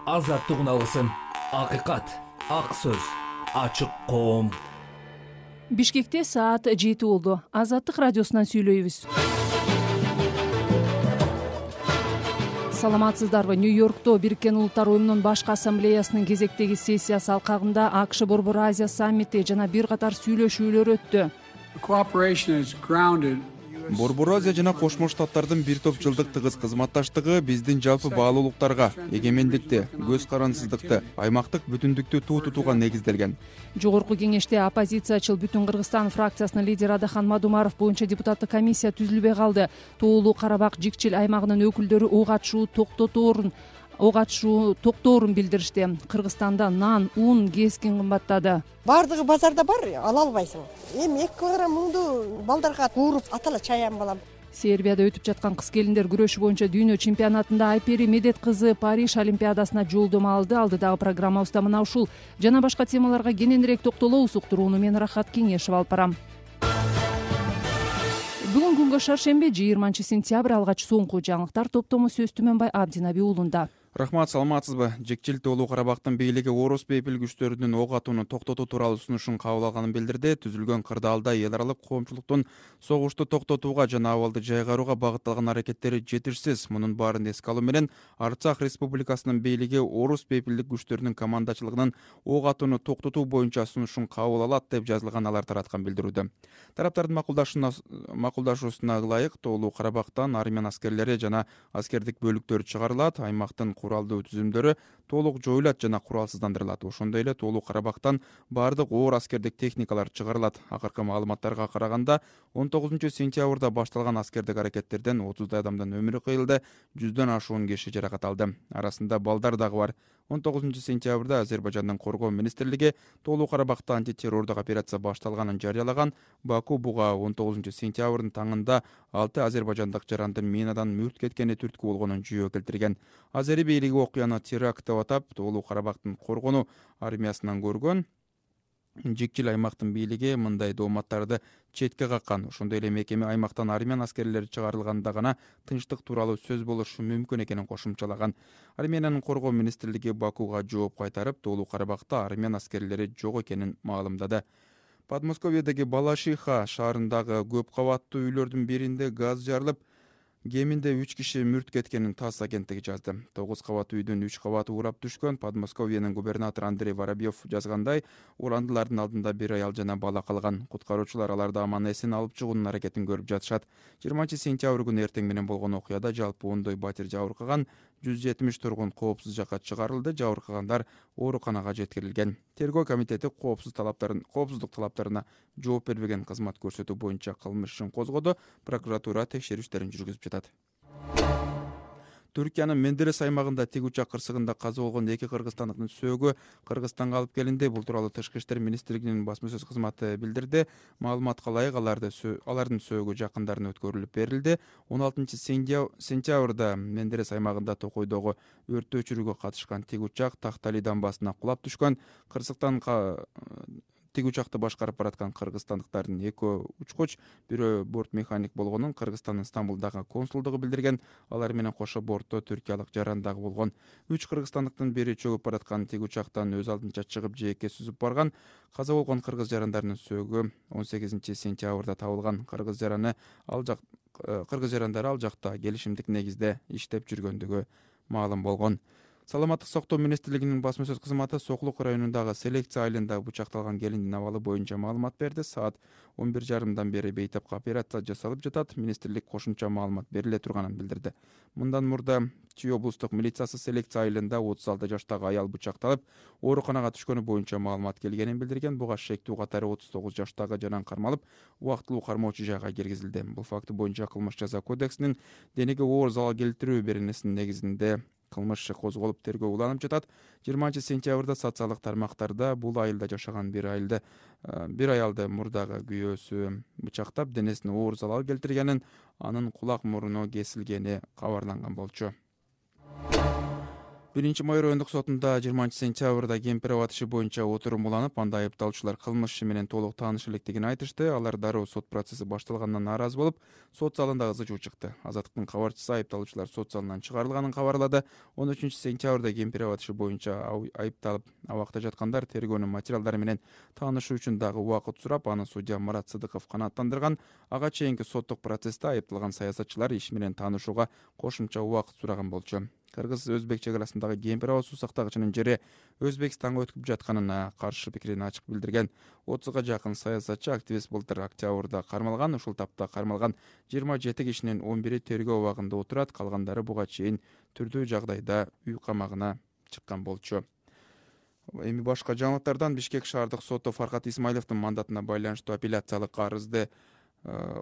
азаттык алсын. Акыйкат, ак сөз, ачык коом. Бишкекте саат 7 болду. Азаттык радиосунан сүйлөйбүз. Саламатсыздарбы? Нью-Йоркто Бириккен Улуттар Уюмунун башкы ассамблеясынын кезектеги сессиясы алкагында АКШ Борбор Азия саммити жана бир катар сүйлөшүүлөр өттү. Борбор Азия жана Кошмо Штаттардын бир топ жылдык тыгыз кызматташтыгы биздин жалпы баалуулуктарга, эгемендикти, көз карансыздыкты, аймактык бүтүндүктү туу тутууга негизделген. Жогорку кеңеште оппозициячыл Бүтүн Кыргызстан фракциясынын лидери Адахан Мадумаров боюнча депутаттык комиссия түзүлбөй калды. Тоолуу Карабак жикчил аймагынын өкүлдөрү ок атышуу токтоорун билдиришти. Кыргызстанда нан, ун кескин кымбаттады. Бардыгы базарда бар, ала албайсың. Эми 2 килограмм унду балдарга кууруп атала чаян балам. Сербияда өтүп жаткан кыз келиндер күрөшү боюнча дүйнө чемпионатында Айпери Медет кызы Париж олимпиадасына жолдомо алды. Алдыдагы программабызда мына ушул жана башка темаларга кененирээк токтолобуз. Уктурууну мен Рахат Кеңешев алып барам. Бүгүн күнгө шаршемби 20-сентябрь алгач соңку жаңылыктар топтому сөз Түмөнбай Абдинаби уулунда. Рахмат, саламатсызбы? Жекчил Тоолуу Карабактын бийлиги Орус бейпил күчтөрүнүн ок атууну токтотуу тууралуу сунушун кабыл алганын билдирди. Түзүлгөн кырдаалда эл аралык коомчулуктун согушту токтотууга жана абалды жайгарууга багытталган аракеттери жетишсиз. Мунун баарын эске алуу менен Арцах Республикасынын бийлиги Орус бейпилдик күчтөрүнүн командачылыгынын ок атууну токтотуу боюнча сунушун кабыл алат деп жазылган алар тараткан билдирүүдө. Тараптардын макулдашуусуна ылайык Тоолуу Карабактан армян аскерлери жана аскердик бөлүктөр чыгарылат. Аймактын куралдуу түзүмдөрү толук жоюлат жана куралсыздандырылат. Ошондой эле Тоолуу Карабактан баардык оор аскердик техникалар чыгарылат. Акыркы маалыматтарга караганда 19-сентябрда башталган аскердик аракеттерден 30 адамдын өмүрү кыйылды, 100дөн ашуун киши жаракат алды. Арасында балдар дагы бар. 19-сентябрда Азербайжандын коргоо министрлиги Тоолуу Карабакта антитеррордук операция башталганын жарыялаган. Баку буга 19-сентябрдын таңында 6 азербайжандык жарандын минадан мүрт кеткени түрткү болгонун жүйө келтирген. Азери бийлиги окуяны теракт деп атап, Тоолуу Карабактын коргонуу армиясынан көргөн. Жикчил аймактын бийлиги мындай дооматтарды четке каккан. Ошондой эле мекеме аймактан армян аскерлери чыгарылганда гана тынчтык тууралуу сөз болушу мүмкүн экенин кошумчалаган. Армениянын коргоо министрлиги Бакуга жооп кайтарып, Тоолуу Карабакта армян аскерлери жок экенин маалымдады. Подмосковьедеги Балашиха шаарындагы көп кабаттуу үйлөрдүн биринде газ жарылып, кеминде 3 киши мүрт кеткенин ТАСС агенттиги жазды. 9 кабат үйдүн 3 кабаты урап түшкөн. Подмосковьенин губернатору Андрей Воробьев жазгандай, урандылардын алдында бир аял жана бала калган. Куткаруучулар аларды аман-эсен алып чыгуунун аракетин көрүп жатышат. 20-сентябрь күнү эртең менен болгон окуяда жалпы 10 батир жабыркаган, 170 тургун коопсуз жакка чыгарылды. Жабыркагандар ооруканага жеткирилген. Тергөө комитети коопсуздук талаптарына жооп бербеген кызмат көрсөтүү боюнча кылмыш ишин козгоду. Прокуратура текшерүүчүлөрүн жүргүзүп жатат. Түркиянын Менделес аймагында тик учак кырсыгында каза болгон 2 кыргызстандыктын сөөгү Кыргызстанга алып келинди. Бул тууралуу Тышкы иштер министрлигинин басма сөз кызматы билдирди. Маалыматка ылайык алардын сөөгү жакындарына өткөрүлүп берилди. 16-сентябрда Менделес аймагында Токойдогу өрттү өчүрүүгө катышкан тик учак Тахтали дамбасына кулап түшкөн. Кырсыктан тик учакты башкарып бараткан кыргызстандыктардын 2 учкуч, бирөө борт механик болгонун Кыргызстандын Стамбулдагы консулдугу билдирген. Алар менен кошо бортто түркиялык жаран дагы болгон. 3 кыргызстандыктын бири чөгүп бараткан тик учактан өз алдынча чыгып жээкке сүзүп барган. Каза болгон кыргыз жарандардын сөөгү 18-сентябрда табылган. Кыргыз жарандары ал жакта келишимдик негизде иштеп жүргөндүгү маалым болгон. Саламаттык сактоо министрлигинин басма сөз кызматы Соклук районундагы Селекция айылында бычакталган келиндин абалы боюнча маалымат берди. Саат 11:30дан бери бейтапка операция жасалып жатат. Министрлик кошумча маалымат бериле турганын билдирди. Мындан мурда Чүй облустук милициясы Селекция айылында 36 жаштагы аял бычакталып, ооруканага түшкөнү боюнча маалымат келгенин билдирген. Буга шектүү катары 39 жаштагы жаран кармалып, убактылуу кармоочу жайга киргизилди. Бул факты боюнча кылмыш жаза кодексинин денеге оор залал келтирүү беренесинин негизинде кылмыш иши козголуп тергөө уланып жатат. 20-сентябрда социалдык тармактарда бул айылда жашаган бир аялды мурдагы күйөөсү бычактап, денесине оор залал келтиргенин, анын кулак мурну кесилгени кабарланган болчу. Биринчи майор райондук сотунда 20-сентябрда Кемпиров иши боюнча отурум уланып, анда айыпталуучулар кылмыш иши менен толук тааныш элекдигин айтышты. Алар дароо сот процесси башталгандан нааразы болуп, сот залында ызы чуу чыкты. Азаттыктын кабарчысы айыпталуучулар сот залынан чыгарылганын кабарлады. 13-сентябрда Кемпиров иши боюнча айыпталып абакта жаткандар тергөөнүн материалдары менен таанышуу үчүн дагы убакыт сурап, аны судья Марат Сыдыков канааттандырган. Ага чейинки соттук процессте айыпталган саясатчылар иш менен таанышууга кошумча убакыт сураган болчу. Кыргыз-Өзбек чек арасындагы Кемпиров суу сактагычынын жери Өзбекстанга өтүп жатканына каршы пикирин ачык билдирген. 30га жакын саясатчы активист былтыр октябрда кармалган. Ушул тапта кармалган 27 кишинин 11 тергөө абагында отурат, калгандары буга чейин түрдүү жагдайда үй камагына чыккан болчу. Эми башка жаңылыктардан Бишкек шаардык соту Фаркат Исмаиловдун мандатына байланыштуу апелляциялык арызды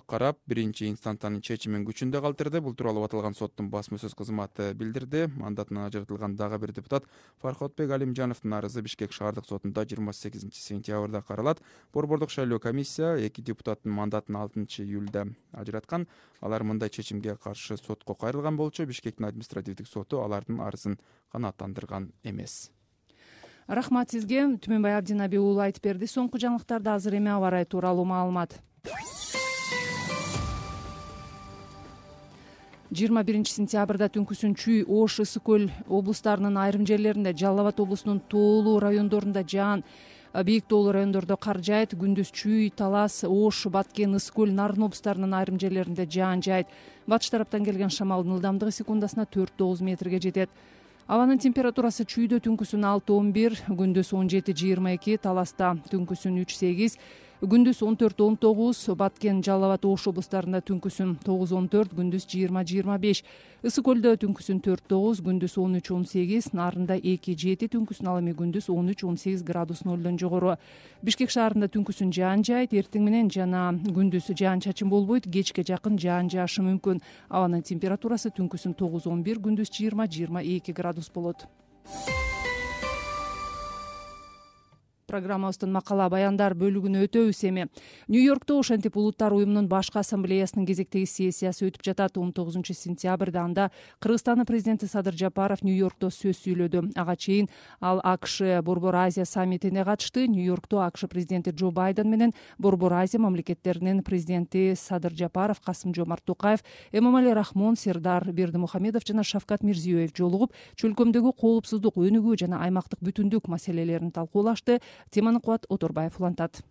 карап, биринчи инстанциянын чечимин күчүндө калтырды. Бул тууралуу аталган соттун басма сөз кызматы билдирди. Мандатынан ажыратылган дагы бир депутат Фархотбек Алимжановдун арызы Бишкек шаардык сотунда 28-сентябрда каралат. Борбордук шайлоо комиссия 2 депутаттын мандатын 6-июлда ажыраткан. Алар мындай чечимге каршы сотко кайрылган болчу. Бишкектин административдик соту алардын арызын канааттандырган эмес. Рахмат сизге. Түмөнбай Абдинаби уулу айтып берди. Соңку жаңылыктарда азыр эми аба ырайы тууралуу маалымат. 21-сентябрда түнкүсүн Чүй, Ош, Ысык көл облустарынын айрым жерлеринде, Жалал Абад облусунун тоолуу райондорунда жаан, бийик тоолуу райондордо кар жаайт. Күндүз Чүй, Талас, Ош, Баткен, Ысык көл, Нарын облустарынын айрым жерлеринде жаан жаайт. Батыш тараптан келген шамалдын ылдамдыгы секундасына 4-9 метрге жетет. Абанын температурасы Чүйдө түнкүсүн 6-11, күндүз 17-22, Таласта түнкүсүн 3-8, күндүз 14-19, Баткен, Жалал Абад, Ош облустарында түнкүсүн 9-14, күндүз 20-25, Ысык көлдө түнкүсүн 4-9, күндүз 13-18, Нарында 2-7, түнкүсүн ал эми күндүз 13-18 градус нолдон жогору. Бишкек шаарында түнкүсүн жаан жаайт, эртең менен жана күндүз жаан чачын болбойт, кечке жакын жаан жаашы мүмкүн. Абанын температурасы түнкүсүн 9-11, күндүз 20-22 градус болот. Программабыздын макала баяндар бөлүгүнө өтөбүз эми. Нью-Йоркто ошентип Улуттар уюмунун башкы ассамблеясынын кезектеги сессиясы өтүп жатат. 19-сентябрда анда Кыргызстандын президенти Садыр Жапаров Нью-Йоркто сөз сүйлөдү. Ага чейин ал АКШ Борбор Азия саммитине катышты. Нью-Йоркто АКШ президенти Джо Байден менен Борбор Азия мамлекеттеринин президенти Садыр Жапаров, Касым-Жомарт Токаев, Эмомали Рахмон, Сердар Бердимухамедов жана Шавкат Мирзиёев жолугуп, чөлкөмдөгү коопсуздук, өнүгүү жана аймактык бүтүндүк маселелерин талкуулашты. Теманы Кубат Оторбаев улантат.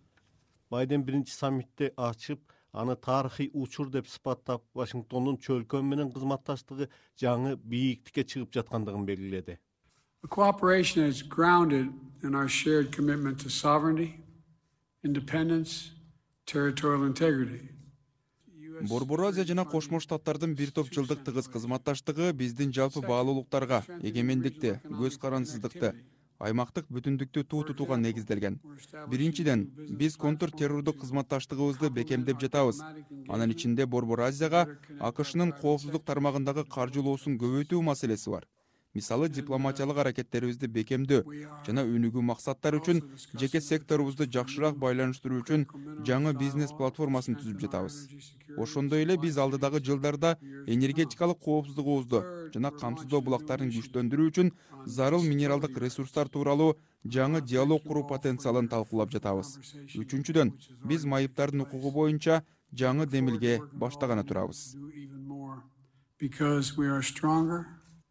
Байден биринчи саммитти ачып, аны тарыхый учур деп сыпаттап, Вашингтондун чөлкөм менен кызматташтыгы жаңы бийиктикке чыгып жаткандыгын белгиледи. The cooperation is grounded in our shared commitment to sovereignty, independence, territorial integrity. Борбор Азия жана Кошмо Штаттардын бир топ жылдык тыгыз кызматташтыгы биздин жалпы баалуулуктарга, эгемендикти, көз карансыздыкты, аймактык бүтүндүктү туу тутууга негизделген. Биринчиден, биз контур террордук кызматташтыгыбызды бекемдеп жатабыз. Анын ичинде Борбор Азияга АКШнын коопсуздук тармагындагы каржылоосун көбөйтүү маселеси бар. Мисалы, дипломатиялык аракеттерибизди бекемдөө жана өнүгүү максаттары үчүн жеке секторубузду жакшыраак байланыштыруу үчүн жаңы бизнес платформасын түзүп жатабыз. Ошондой эле биз алдыдагы жылдарда энергетикалык коопсуздугубузду жана камсыздоо булактарын күчтөндүрүү үчүн зарыл минералдык ресурстар тууралуу жаңы диалог куруу потенциалын талкуулап жатабыз. Үчүнчүдөн, биз майыптардын укугу боюнча жаңы демилге баштаганы турабыз.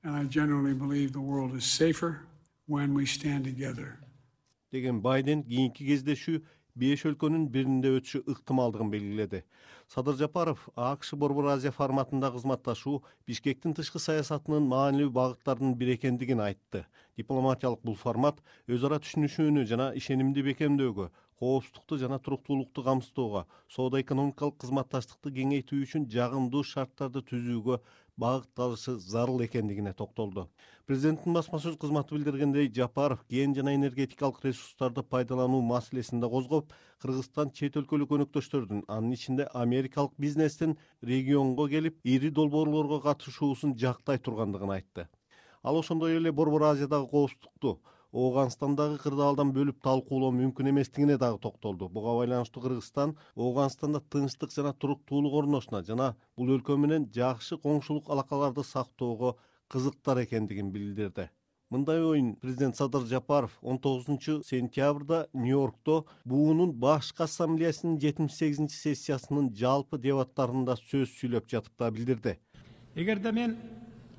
And I generally believe the world is safer when we stand together. Деген Байден кийинки кездешүү 5 өлкөнүн биринде өтүшү ыктымалдыгын белгиледи. Садыр Жапаров АКШ Борбор Азия форматында кызматташуу Бишкектин тышкы саясатынын маанилүү багыттарынын бири экендигин айтты. Дипломатиялык бул формат өз ара түшүнүшүүнү жана ишенимди бекемдөөгө, коопсуздукту жана туруктуулукту камсыздоого, соода-экономикалык кызматташтыкты кеңейтүү үчүн жагымдуу шарттарды түзүүгө багытталышы зарыл экендигине токтолду. Президенттин басма сөз кызматы билдиргендей, Жапаров кен жана энергетикалык ресурстарды пайдалануу маселесин да козгоп, Кыргызстан чет өлкөлүк өнөктөштөрдүн, анын ичинде америкалык бизнестин регионго келип, ири долбоорлорго катышуусун жактай тургандыгын айтты. Ал ошондой эле Борбор Азиядагы коопсуздукту Ооганстандагы кырдаалдан бөлүп талкуулоо мүмкүн эместигине дагы токтолду. Буга байланыштуу Кыргызстан Ооганстанда тынчтык жана туруктуулук орношуна жана бул өлкө менен жакшы коңшулук алакаларды сактоого кызыктар экендигин билдирди. Мындай оюн президент Садыр Жапаров 19-сентябрда Нью-Йоркто буунун башкы ассамблеясынын 78-сессиясынын жалпы дебаттарында сөз сүйлөп жатып билдирди. Эгерде мен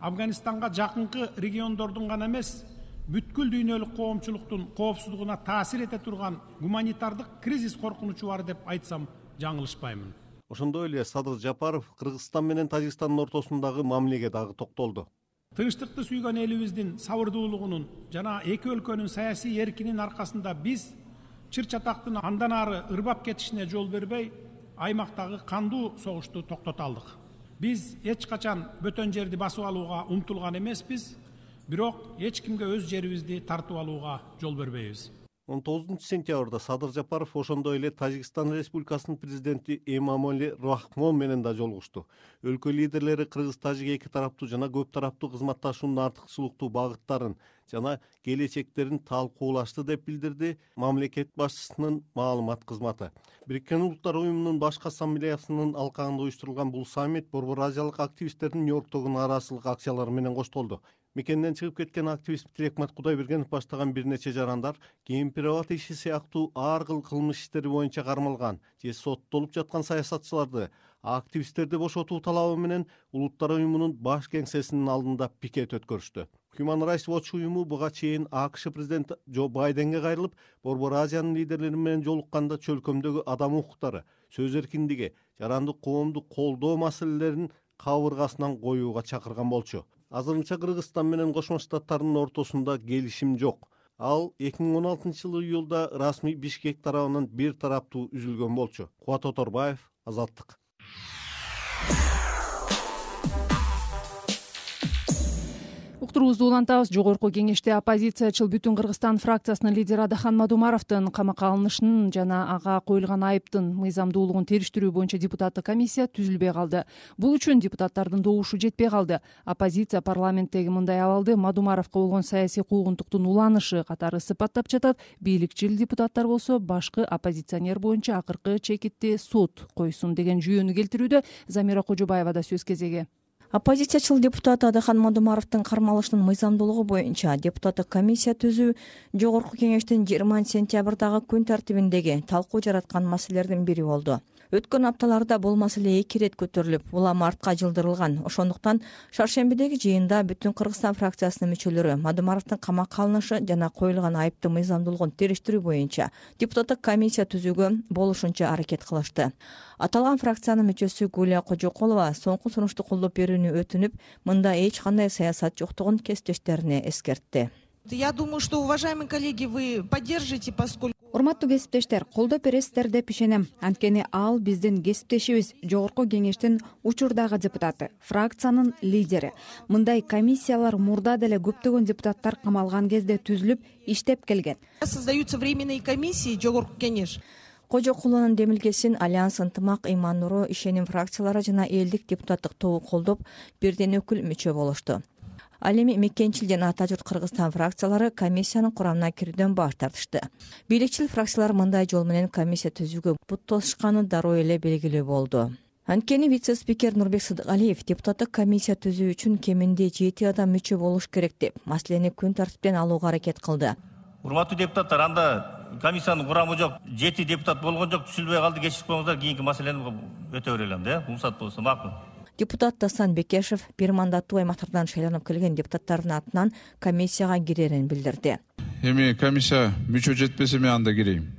Афганистанга жакынкы региондордун гана эмес, бүткүл дүйнөлүк коомчулуктун коопсуздугуна таасир эте турган гуманитардык кризис коркунучу бар деп айтсам жаңылышпаймын. Ошондой эле Садыр Жапаров Кыргызстан менен Тажикстандын ортосундагы мамилеге дагы токтолду. Тынчтыкты сүйгөн элибиздин сабырдуулугунун жана эки өлкөнүн саясий эркинин аркасында биз чыр чатактын андан ары ырбап кетишине жол бербей, аймактагы кандуу согушту токтото алдык. Биз эч качан бөтөн жерди басып алууга умтулган эмеспиз, бирок эч кимге өз жерибизди тартып алууга жол бербейбиз. 19-сентябрда Садыр Жапаров ошондой эле Тажикстан Республикасынын президенти Эмомали Рахмон менен да жолугушту. Өлкө лидерлери Кыргыз-Тажик эки тараптуу жана көп тараптуу кызматташуунун артыкчылыктуу багыттарын жана келечектерин талкуулашты деп билдирди мамлекет башчысынын маалымат кызматы. Бириккен Улуттар уюмунун башкы ассамблеясынын алкагында уюштурулган бул саммит Борбор Азиялык активисттердин Нью-Йорктогу нааразычылык акциялары менен коштолду. Мекенден чыгып кеткен активист Тилекмат Кудайбергенов баштаган бир нече жарандар кемпир-абад иши сыяктуу ар кыл кылмыш иштери боюнча кармалган же соттолуп жаткан саясатчыларды, активисттерди бошотуу талабы менен Улуттар уюмунун баш кеңсесинин алдында пикет өткөрүштү. Human Rights Watch уюму буга чейин АКШ президенти Джо Байденге кайрылып, Борбор Азиянын лидерлери менен жолукканда чөлкөмдөгү адам укуктары, сөз эркиндиги, жарандык коомду колдоо маселелерин кабыргасынан коюуга чакырган болчу. Азырынча Кыргызстан менен Кошмо Штаттардын ортосунда келишим жок. Ал 2016-жылы июлда расмий Бишкек тарабынан бир тараптуу үзүлгөн болчу. Кубат Оторбаев, Азаттык. Уктуруубузду улантабыз. Жогорку кеңеште оппозициячыл Бүтүн Кыргызстан фракциясынын лидери Адахан Мадумаровдун камакка алынышынын жана ага коюлган айыптын мыйзамдуулугун териштирүү боюнча депутаттык комиссия түзүлбөй калды. Бул үчүн депутаттардын добушу жетпей калды. Оппозиция парламенттеги мындай абалды Мадумаровго болгон саясий куугунтуктун уланышы катары сыпаттап жатат. Бийликчил депутаттар болсо башкы оппозиционер боюнча акыркы чекитти сот койсун деген жүйөнү келтирүүдө. Замира Кожобаева да сөз кезеги. Оппозициячыл депутат Адахан Мадумаровдун кармалышынын мыйзамдуулугу боюнча депутаттык комиссия түзүү Жогорку кеңештин 20-сентябрдагы күн тартибиндеги талкуу жараткан маселелердин бири болду. Өткөн апталарда бул маселе 2 ирет көтөрүлүп, улам артка жылдырылган. Ошондуктан шаршембидеги жыйында Бүтүн Кыргызстан фракциясынын мүчөлөрү Мадумаровдун камакка алынышы жана коюлган айыптын мыйзамдуулугун териштирүү боюнча депутаттык комиссия түзүүгө болушунча аракет кылышты. Аталган фракциянын мүчөсү Гулия Кожоколова соңку сунушту колдоп берүүнү өтүнүп, мында эч кандай саясат жоктугун кесиптештерине эскертти. Я думаю, что, уважаемые коллеги, вы поддержите, поскольку... Урматтуу кесиптештер, колдоп бересиздер деп ишенем. Анткени ал биздин кесиптешибиз, Жогорку кеңештин учурдагы депутаты, фракциянын лидери. Мындай комиссиялар мурда деле көптөгөн депутаттар камалган кезде түзүлүп, иштеп келген. Создаются временные комиссии, Жогорку кеңеш. Кожокулунун демилгесин Альянс Ынтымак, Иман Нуру, Ишеним фракциялары жана элдик депутаттык тобу колдоп, бирден өкүл мүчө болушту. Ал эми Мекенчил жана Ата журт Кыргызстан фракциялары комиссиянын курамына кирүүдөн баш тартышты. Бийликчил фракциялар мындай жол менен комиссия түзүүгө бут тосушканы дароо эле белгилүү болду. Анткени вице-спикер Нурбек Сыдыкалиев депутаттык комиссия түзүү үчүн кеминде 7 адам мүчө болуш керек деп маселени күн тартиптен алууга аракет кылды. Урматтуу депутаттар, анда комиссиянын курамы жок, 7 депутат болгон жок, түзүлбөй калды, кечирип коюңуздар, кийинки маселени өтө берелем да, уруксат болсо макул. Депутат Дасан Бекешев бир мандаттуу аймактардан шайланып келген депутаттардын атынан комиссияга кирерин билдирди. Эми комиссия мүчө жетпесе мен анда кирейм.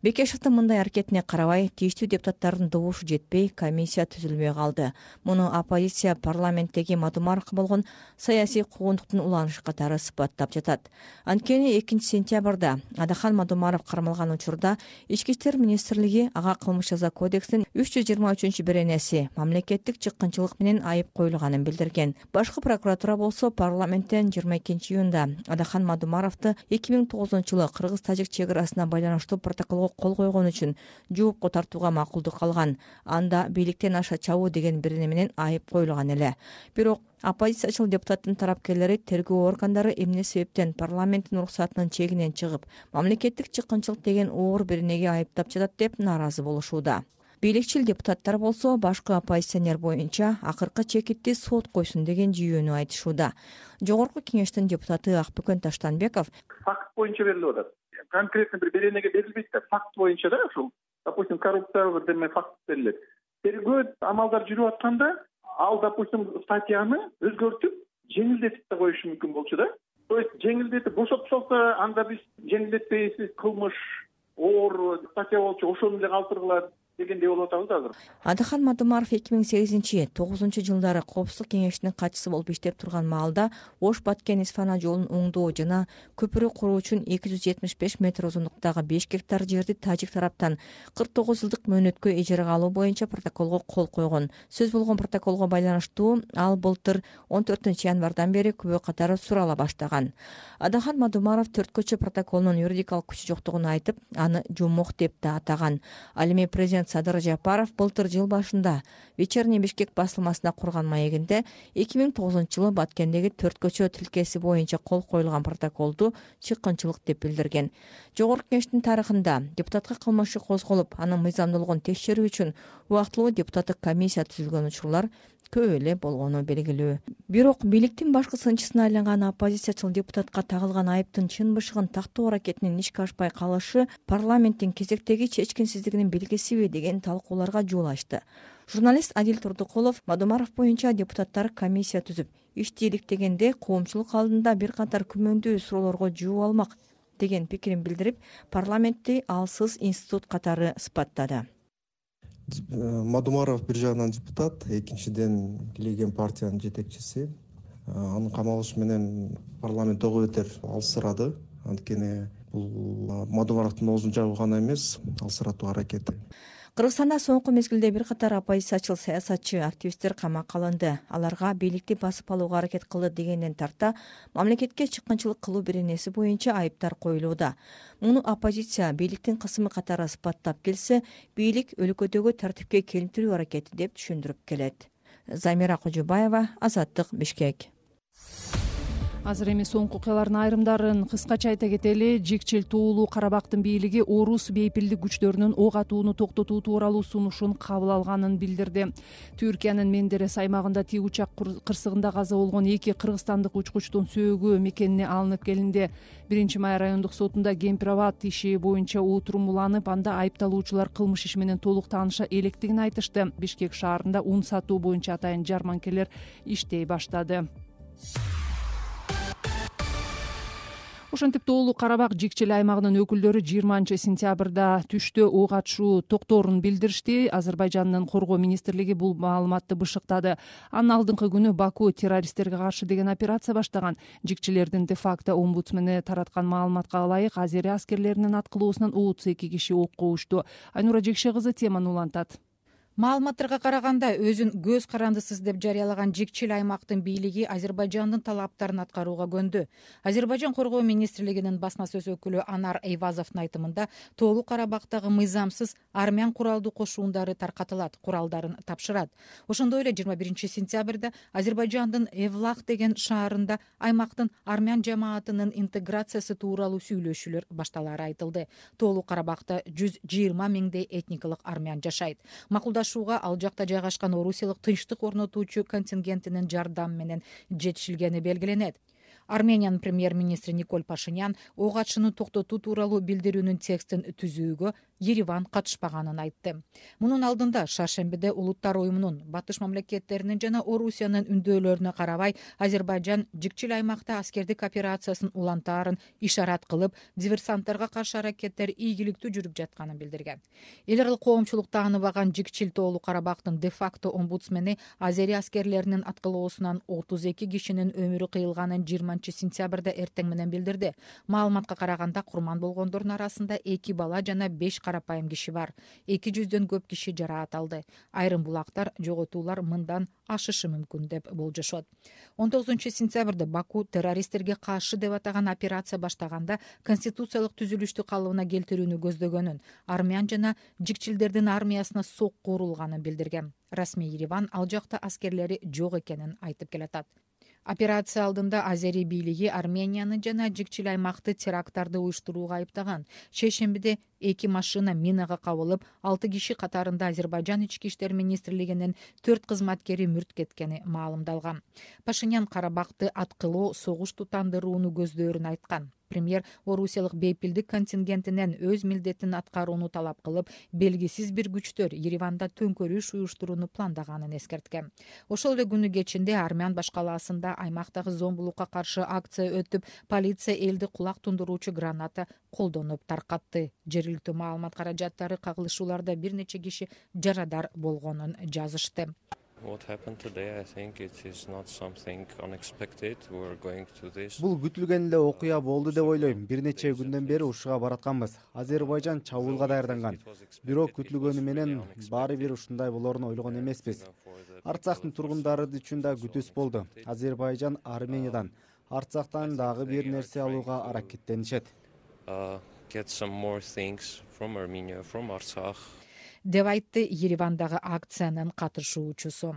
Бекешевдин мындай аракетине карабай, тийиштүү депутаттардын добушу жетпей, комиссия түзүлбөй калды. Муну оппозиция парламенттеги Мадумаровго болгон саясий куугунтуктун уланышы катары сыпаттап жатат. Анткени 2-сентябрда Адахан Мадумаров кармалган учурда Ички иштер министрлиги ага кылмыш жаза кодексинин 323-беренеси мамлекеттик чыккынчылык менен айып коюлганын билдирген. Башкы прокуратура болсо парламенттен 22-июнда Адахан Мадумаровду 2009-жылы Кыргыз-Тажик чек арасына байланыштуу протоколго кол койгон үчүн жоопко тартууга макулдук алган. Анда бийликтен аша чабуу деген бирене менен айып коюлган эле. Бирок оппозициячыл депутаттын тарапкерлери тергөө органдары эмне себептен парламенттин уруксатынын чегинен чыгып, мамлекеттик чыккынчылык деген оор биренеге айыптап жатат деп нааразы болушууда. Бийликчил депутаттар болсо башкы оппозиционер боюнча акыркы чекитти сот койсун деген жүйөнү айтышууда. Жогорку кеңештин депутаты Акбөкөн Таштанбеков факт боюнча берилип атат. Конкретно бир беренеге берилбейт да, факт боюнча да, ушул допустим коррупциялык деме факт берилет. Тергөө амалдар жүрүп атканда ал допустим статьяны өзгөртүп жеңилдетип да коюшу мүмкүн болчу да. То есть жеңилдетип бошотуп салса, анда биз жеңилдетпейсиз, кылмыш оор статья болчу, ошону эле калтыргыла дегендей болуп атабыз азыр. Адыхан Мадумаров 2008-9 жылдары Коопсуздук кеңешинин катчысы болуп иштеп турган маалда Ош-Баткен-Исфана жолун оңдоо жана көпүрө куруу үчүн 275 метр узундуктагы 5 гектар жерди тажик тараптан 49 жылдык мөөнөткө ижарага алуу боюнча протоколго кол койгон. Сөз болгон протоколго байланыштуу ал былтыр 14 январдан бери күбө катары сурала баштаган. Адыхан Мадумаров төрткөчө протоколунун юридикалык күчү жоктугун айтып, аны жумок деп да атаган. Ал эми президент Садыр Жапаров былтыр жыл башында Вечерний Бишкек басылмасына курган маегинде 2009 жылы Баткендеги төрткөчө тилкеси боюнча кол коюлган протоколду чыккынчылык деп билдирген. Жогорку кеңештин тарыхында депутатка кылмыш иши козголуп, анын мыйзамдуулугун текшерүү үчүн убактылуу депутаттык комиссия түзүлгөн учурлар көп эле болгону белгилүү. Бирок бийликтин башкы сынчысына айланган оппозициячыл депутатка тагылган айыптын чын бышыгын тактоо аракетинин ишке ашпай калышы парламенттин кезектеги чечкинсиздигинин белгисиби деген талкууларга жол ачты. Журналист Адил Турдукулов Мадумаров боюнча депутаттар комиссия түзүп, иш тейликтегенде коомчулук алдында бир катар күмөндүү суроолорго жооп алмак деген пикирин билдирип, парламентти алсыз институт катары сыпаттады. Мадумаров бир жагынан депутат, экинчиден бийлеген партиянын жетекчиси. Анын камалышы менен парламент ого бетер алсырады. Анткени бул Мадумаровдун оозун жабуу гана эмес, алсыратуу аракети. Кыргызстанда соңку мезгилде бир катар оппозициячыл саясатчы, активисттер камакка алынды. Аларга бийликти басып алууга аракет кылды дегенден тарта мамлекетке чыккынчылык кылуу беренеси боюнча айыптар коюлууда. Муну оппозиция бийликтин кысымы катары сыпаттап келсе, бийлик өлкөдөгү тартипке келтирүү аракети деп түшүндүрүп келет. Замира Кожубаева, Азаттык, Бишкек. Азыр эми соңку окуялардын айрымдарын кыскача айта кетели. Жикчил туулуу Карабактын бийлиги орус бейпилдик күчтөрүнүн ок атууну токтотуу тууралуу сунушун кабыл алганын билдирди. Түркиянын Мендерес аймагында тик учак кырсыгында каза болгон 2 кыргызстандык учкучтун сөөгү мекенине алынып келинди. 1-Май райондук сотунда Кемпирабад иши боюнча отурум уланып, анда айыпталуучулар кылмыш иши менен толук тааныша электигин айтышты. Бишкек шаарында ун сатуу боюнча атайын жарманкелер иштей баштады. Ошентип Тоолуу Карабак Жикчил аймагынын өкүлдөрү 20-сентябрда түштө ок атышуу токторун билдиришти. Азербайжандын коргоо министрлиги бул маалыматты бышыктады. Анын алдыңкы күнү Баку террористтерге каршы деген операция баштаган. Жикчилердин де-факто омбудсмени тараткан маалыматка ылайык, Азери аскерлеринин аткылоосунан 32 киши окко ушту. Айнура Жекше кызы теманы улантат. Маалыматтарга караганда, өзүн көз карандысыз деп жарыялаган Жикчил аймактын бийлиги Азербайжандын талаптарын аткарууга көндү. Азербайжан коргоо министрлигинин басма сөз өкүлү Анар Эйвазовдун айтымында, Тоолуу Карабактагы мыйзамсыз армян куралдуу кошуундары таркатылат, куралдарын тапшырат. Ошондой эле 21-сентябрда Азербайжандын Эвлах деген шаарында аймактын армян жамаатынын интеграциясы тууралуу сүйлөшүүлөр башталары айтылды. Тоолуу Карабакта 120 миңдей этникалык армян жашайт. Ал жакта жайгашкан орусиялык тынчтык орнотуучу контингентинин жардамы менен жетишилгени белгиленет. Армениянын премьер-министри Николь Пашинян ок атышууну токтотуу тууралуу билдирүүнүн текстин түзүүгө Ереван катышпаганын айтты. Мунун алдында Шаршембиде Улуттар уюмунун батыш мамлекеттеринин жана Орусиянын үндөөлөрүнө карабай Азербайжан Жикчил аймакта аскердик операциясын улантаарын ишарат кылып, диверсанттарга каршы аракеттер ийгиликтүү жүрүп жатканын билдирген. Эл аралык коомчулук тааныбаган Жикчил Тоолуу Карабактын де-факто омбудсмени Азери аскерлеринин аткылоосунан 32 кишинин өмүрү кыйылганын 20-сентябрда эртең менен билдирди. Маалыматка караганда, курман болгондордун арасында 2 бала жана 5 карапайым киши бар. 200дөн көп киши жараат алды. Айрым булактар жоготуулар мындан ашышы мүмкүн деп болжошот. 19-сентябрда Баку террористтерге каршы деп атаган операция баштаганда конституциялык түзүлүштү калыбына келтирүүнү көздөгөнүн, армян жана жикчилдердин армиясына сокку урулганын билдирген. Расмий Ереван ал жакта аскерлери жок экенин айтып келатат. Операция алдында Азери бийлиги Арменияны жана Жикчил аймакты теракттарды уюштурууга айыптаган. Шейшембиде 2 машина минага кабылып, 6 киши катарында Азербайжан ички иштер министрлигинин 4 кызматкери мүрт кеткени маалымдалган. Пашинян Карабакты аткылоо, согуш тутандырууну көздөрүн айткан. Премьер орусиялык бейпилдик контингентинен өз милдетин аткарууну талап кылып, белгисиз бир күчтөр Ереванда төңкөрүш уюштурууну пландаганын эскерткен. Ошол эле күнү кечинде Армян башкаласында аймактагы зомбулукка каршы акция өтүп, полиция элди кулак тундуруучу граната колдонуп таркатты. Жергиликтүү маалымат каражаттары кагылышууларда бир нече киши жарадар болгонун жазышты. Бул күтүлгөн эле окуя болду деп ойлойм. Бир нече күндөн бери ушуга баратканбыз. Азербайжан чабуулга даярданган. Бирок күтүлгөнү менен баары бир ушундай болоорун ойлогон эмеспиз. Арцахтын тургундары үчүн да күтүүс болду. Азербайжан Армениядан, Арцахтан дагы бир нерсе алууга аракеттенишет. Деп айтты Еревандагы акциянын катышуучусу.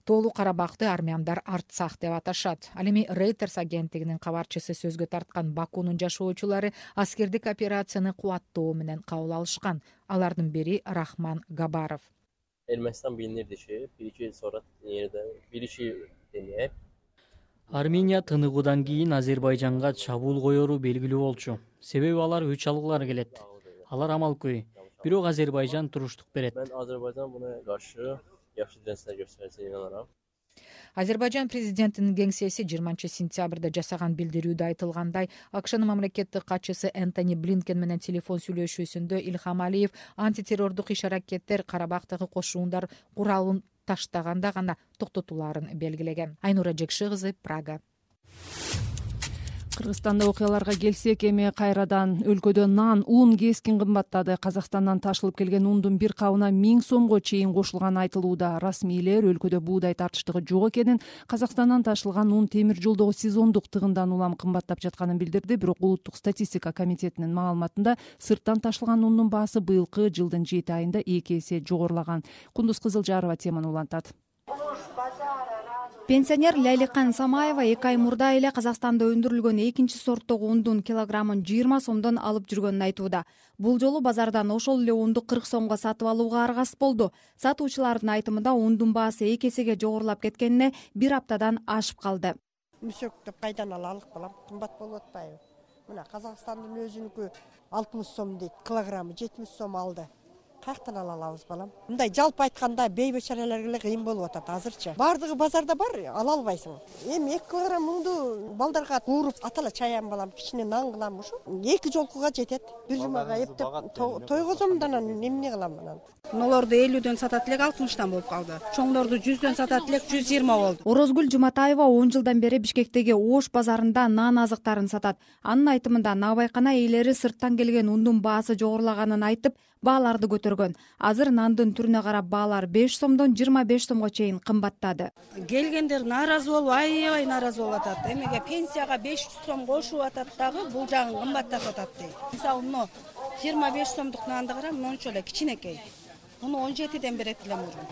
Тоолуу Карабакты армяндар Арцах деп аташат. Ал эми Reuters агенттигинин кабарчысы сөзгө тарткан Бакунун жашоочулары аскердик операцияны кубаттоо менен кабыл алышкан. Алардын бири Рахман Габаров. Ermenistan bilinir dışı, birisi sonra birisi deneyip. Армения тыныгуудан кийин Азербайжанга чабуул коеру белгилүү болчу. Себеби алар өч алгылары келет. Алар амалкөй. Бирок Азербайжан туруштук берет. Ben Azerbaycan buna karşı yaxşı dirençler göstereceğine inanırım. Азербайжан президентинин кеңсеси 20 сентябрда жасаган билдирүүдө айтылгандай, АКШнын мамлекеттик катчысы Энтони Блинкен менен телефон сүйлөшүүсүндө Илхам Алиев антитеррордук иш-аракеттер Карабактагы кошуундар куралын таштаганда гана токтотуларын белгилеген. Айнура Жекши кызы, Прага. Кыргызстанда окуяларга келсек, эми кайрадан өлкөдө нан, ун кескин кымбаттады. Казакстандан ташылып келген ундун бир кабына 1000 сомго чейин кошулганы айтылууда. Расмийлер өлкөдө буудай тартыштыгы жок экенин, Казакстандан ташылган ун темир жолдогу сезондук тыгындан улам кымбаттап жатканын билдирди. Бирок улуттук статистика комитетинин маалыматында сырттан ташылган ундун баасы быйылкы жылдын 7 айында 2 эсе жогорулаган. Кундуз Кызылжарова теманы улантат. Пенсионер Ляликан Самаева 2 ай мурда эле Казакстанда өндүрүлгөн экинчи сорттогу ундун килограммын 20 сомдон алып жүргөнүн айтууда. Бул жолу базардан ошол эле унду 40 сомго сатып алууга аргасыз болду. Сатуучулардын айтымында ундун баасы 2 эсеге жогорулап кеткенине бир аптадан ашып калды. Мүсөктөп кайдан алалык балам? Кымбат болуп атпайбы? Мына Казакстандын өзүнүкү 60 сом дейт, килограммы 70 сом алды. Каяктан ала алабыз балам? Мындай жалпы айтканда бейбечараларга эле кыйын болуп атат азырчы. Бардыгы базарда бар, ала албайсың. Эми 2 килограмм муңду балдарга кууруп атала чаям балам, кичине нан кылам ушу. 2 жолкуга жетет. Бир жумага эптеп тойгозом да эмне кылам анан. Нолорду 50дөн сатат элек 60тан болуп калды. Чоңдорду 100дөн сатат элек 120 болду. Орозгүл Жуматаева 10 жылдан бери Бишкектеги Ош базарында нан азыктарын сатат. Анын айтымында набайкана ээлери сырттан келген ундун баасы жогорулаганын айтып, бааларды көтөргөн. Азыр нандын түрүнө карап баалар 5 сомдон 25 сомго чейин кымбаттады. Келгендер нааразы болуп, аябай нааразы болуп атат. Эмеге пенсияга 500 сом кошуп атат дагы, бул жагын кымбаттатып атат дейт. Мисалы, мына 25 сомдук нанды карам, мончо эле кичинекей. Муну 17ден берет элем мурун.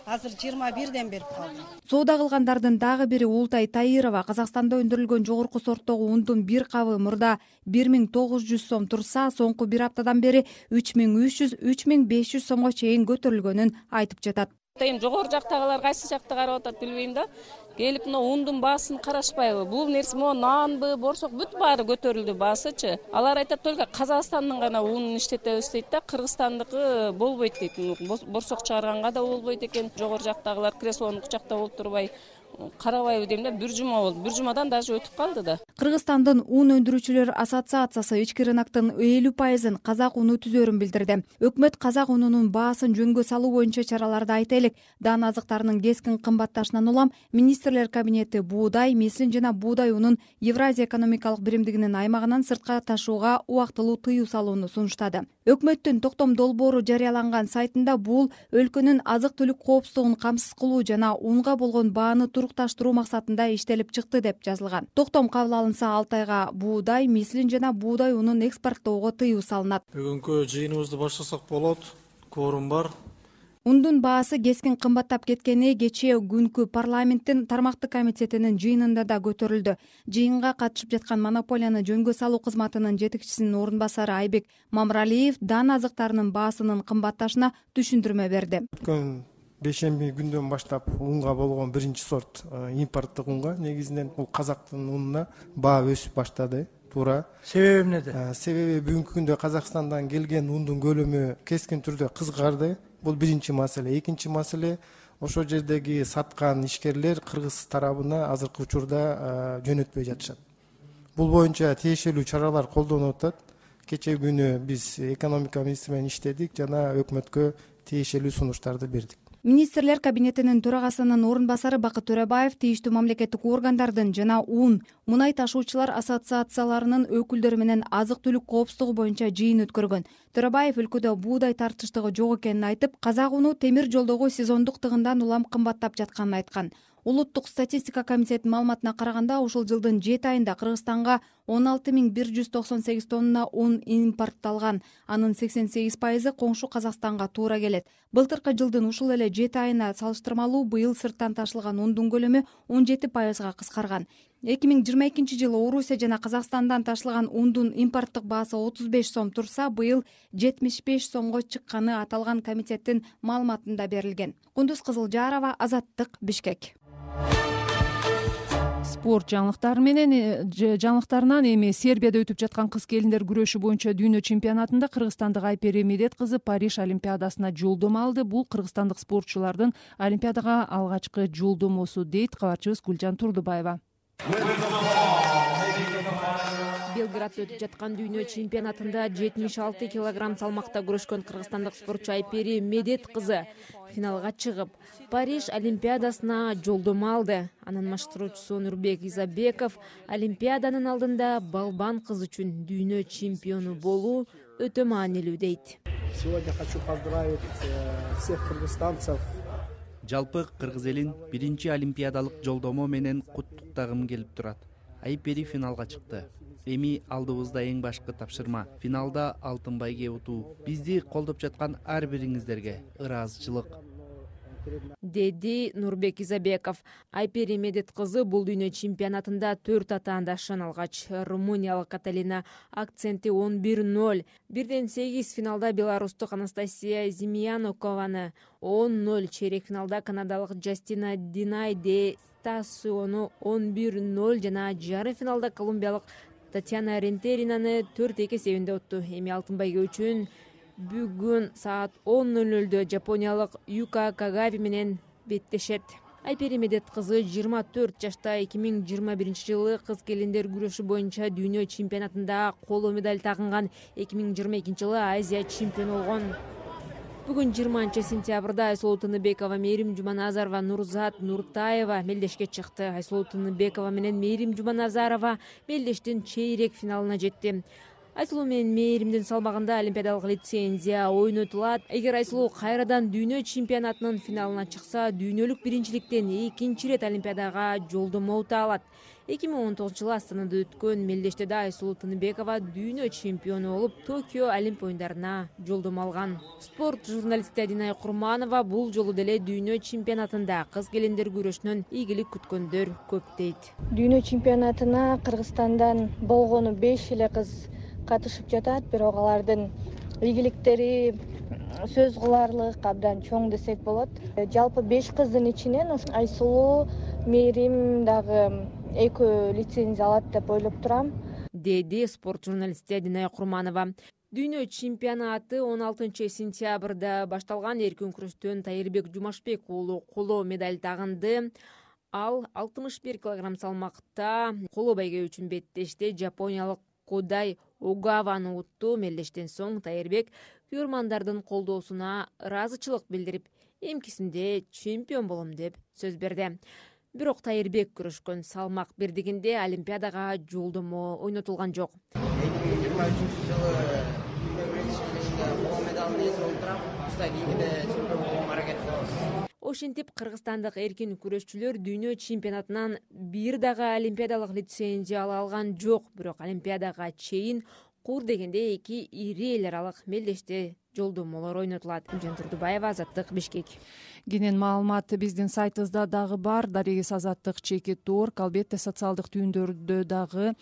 Азыр 21ден берип калды. Соода кылгандардын дагы бири Ултай Таирова Казакстанда өндүрүлгөн жогорку сорттогу ундун бир кабы мурда 1900 сом турса, соңку бир аптадан бери 3300-3500 сомго чейин көтөрүлгөнүн айтып жатат. Эми жогору жактагылар кайсы жакта карап атат билбейм да. Келип мына ундун баасын карашпайбы? Бул нерсе мо нанбы, борсок бүт баары көтөрүлдү баасычы. Алар айтат только Казакстандын гана унун иштетебиз дейт да, Кыргызстандыкы болбойт дейт. Борсок чыгарганга да болбойт экен. Жогору жактагылар креслонун кучакта болуп турбай карабайбы дейм да, бир жума болду. Бир жумадан даже өтүп калды да. Кыргызстандын ун өндүрүүчүлөр ассоциациясы ички рыноктун 50% казак уну түзөрүн билдирди. Өкмөт казак унунун баасын жөнгө салуу боюнча чараларды айта элек. Дан азыктарынын кескин кымбатташынан улам министрлер кабинети буудай, мислин жана буудай унун Евразия экономикалык биримдигинин аймагынан сыртка ташууга убактылуу тыюу салууну сунуштады. Өкмөттүн токтом долбоору жарыяланган сайтында бул өлкөнүн азык-түлүк коопсуздугун камсыз кылуу жана унга болгон бааны турукташтыруу максатында иштелип чыкты деп жазылган. Токтом кабыл алынса 6 айга буудай, мислин жана буудай унун экспорттоого тыюу салынат. Бүгүнкү жыйыныбызды баштасак болот. Кворум бар. Ундун баасы кескин кымбаттап кеткени кечээ күнкү парламенттин тармактык комитетинин жыйынында да көтөрүлдү. Жыйынга катышып жаткан монополияны жөнгө салуу кызматынын жетекчисинин орун басары Айбек Мамралиев дан азыктарынын баасынын кымбатташына түшүндүрмө берди. Өткөн бейшемби күндөн баштап унга болгон биринчи сорт импорттук унга негизинен бул казактын унуна баа өсүп баштады. Туура. Себеби эмнеде? Себеби бүгүнкү күндө Казакстандан келген ундун көлөмү кескин түрдө кыскарды. Бул биринчи маселе. Экинчи маселе ошол жердеги саткан ишкерлер кыргыз тарабына азыркы учурда жөнөтпөй жатышат. Бул боюнча тиешелүү чаралар колдонуп атат. Кечээ күнү биз экономика министри менен иштедик жана өкмөткө тиешелүү сунуштарды бердик. Министрлер кабинетинин төрагасынын орун басары Бакыт Төрөбаев тийиштүү мамлекеттик органдардын жана мунай ташуучулар ассоциацияларынын өкүлдөрү менен азык-түлүк коопсуздугу боюнча жыйын өткөргөн. Төрөбаев өлкөдө буудай тартыштыгы жок экенин айтып, казак уну темир жолдогу сезондук тыгындан улам кымбаттап жатканын айткан. Улуттук статистика комитетинин маалыматына караганда, ушул жылдын 7 айында Кыргызстанга 16198 тонна un импортталган. Анын 88% коңшу Казакстанга туура келет. Былтыркы жылдын ушул эле 7 айына салыштырмалуу быйыл сырттан ташылган ундун көлөмү 17%га кыскарган. 2022 жылы Орусия жана Казакстандан ташылган ундун импорттук баасы 35 сом турса, быйыл 75 сомго чыкканы аталган комитеттин маалыматында берилген. Кундуз Кызылжарова, Азаттык, Бишкек. Спорт жаңылыктарынан эми Сербияда өтүп жаткан кыз келиндер күрөшү боюнча дүйнө чемпионатында кыргызстандык Айпери Медет кызы Париж олимпиадасына жолдомо алды. Бул кыргызстандык спортчулардын олимпиадага алгачкы жолдомосу, дейт кабарчыбыз Гүлжан Турдубаева. Белградда өтүп жаткан дүйнө чемпионатында 76 килограмм салмакта күрөшкөн кыргызстандык спортчу Айпери Медет кызы финалга чыгып, Париж олимпиадасына жолдомо алды. Анын маштыруучусу Нурбек Изабеков олимпиаданын алдында балбан кыз үчүн дүйнө чемпиону болуу өтө маанилүү дейт. Сегодня хочу поздравить всех кыргызстанцев. Жалпы кыргыз элин биринчи олимпиадалык жолдомо менен куттуктагым келип турат. Айпери финалга чыкты. Эми алдыбызда эң башкы тапшырма — финалда алтын байге утуу. Бизди колдоп жаткан ар бириңиздерге ыраазычылык, деди Нурбек Изабеков. Айпери Медет кызы бул дүйнө чемпионатында 4 атаандашын алгач. Румыниялык Каталина акценти 11-0. 1-8 финалда беларустук Анастасия Зимьянокованы, 10-0 чейрек финалда канадалык Джастина Динай де Стасиону 11-0 жана жарым финалда колумбиялык Татьяна Рентеринаны 4-2 эсебинде утту. Эми алтын байге үчүн бүгүн саат 10:00 жапониялык Юка Кагави менен беттешет. Айпери Медет кызы 24 жашта 2021 жылы кыз келиндер күрөшү боюнча дүйнө чемпионатында коло медаль тагынган, 2022 жылы Азия чемпиону болгон. Бүгүн 20 сентябрда Айсулуу Тыныбекова, Мээрим Жуманазарова, Нурзат Нуртаева мелдешке чыкты. Айсулуу Тыныбекова менен Мээрим Жуманазарова мелдештин чейрек финалына жетти. Айсулуу менен Мээримдин салмагында олимпиадалык лицензия ойнотулат. Эгер Айсулуу кайрадан дүйнө чемпионатынын финалына чыкса, дүйнөлүк биринчиликтен экинчи ирет олимпиадага жолдомо ута алат. 2019 жылы Астанада өткөн мелдештеде Айсулуу Тыныбекова дүйнө чемпиону болуп, Токио Олимп оюндарына жолдомо алган. Спорт журналисти Динай Курманова бул жолу деле дүйнө чемпионатында кыз келиндер күрөшүнөн ийгилик күткөндөр көп дейт. Дүйнө чемпионатына Кыргызстандан болгону 5 эле кыз катышып жатат, бирок алардын ийгиликтери сөз кыларлык, абдан чоң десек болот. Жалпы 5 кыздын ичинен Айсулуу, Мээрим дагы экөө лицензия алат деп ойлоп турам, деди спорт журналисти Динай Курманова. Дүйнө чемпионаты 16 сентябрда башталган. Эркин күрөштөн Тайырбек Жумашбек уулу коло медаль тагынды. Ал 61 килограмм салмакта коло байге үчүн беттешти. Жапониялык Кодай Огаваны утту. Мелдештен соң Тайырбек күйөрмандардын колдоосуна ыраазычылык билдирип, эмкисинде чемпион болом деп сөз берди. Бирок Тайырбек күрөшкөн салмак бирдигинде олимпиадага жолдомо ойнотулган жок. 2023 жылы дүйнө биринчилигинде коло медалды эсеп отурам. Кийинкиде чемпион болууга аракет кылабыз. Ошентип кыргызстандык эркин күрөшчүлөр дүйнө чемпионатынан бир дагы олимпиадалык лицензия ала алган жок. Бирок олимпиадага чейин кур дегенде эки ири эл аралык мелдеште жолдомолор ойнотулат. Гүлжан Турдубаева, Азаттык, Бишкек. Кенен маалымат биздин сайтыбызда дагы бар. Дарегиз Азаттык.org. Албетте социалдык түйүндөрдө дагы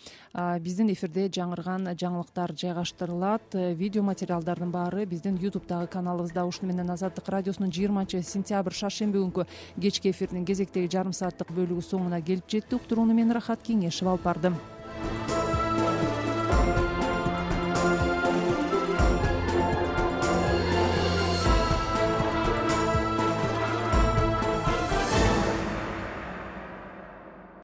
биздин эфирде жаңырган жаңылыктар жайгаштырылат. Видео материалдардын баары биздин YouTube'дагы каналыбызда. Ушуну менен Азаттык радиосунун 20-сентябрь шаршемби күнкү кечки эфирдин кезектеги жарым сааттык бөлүгү соңуна келип жетти. Уктурууну мен Рахат Кеңешева алып бардым.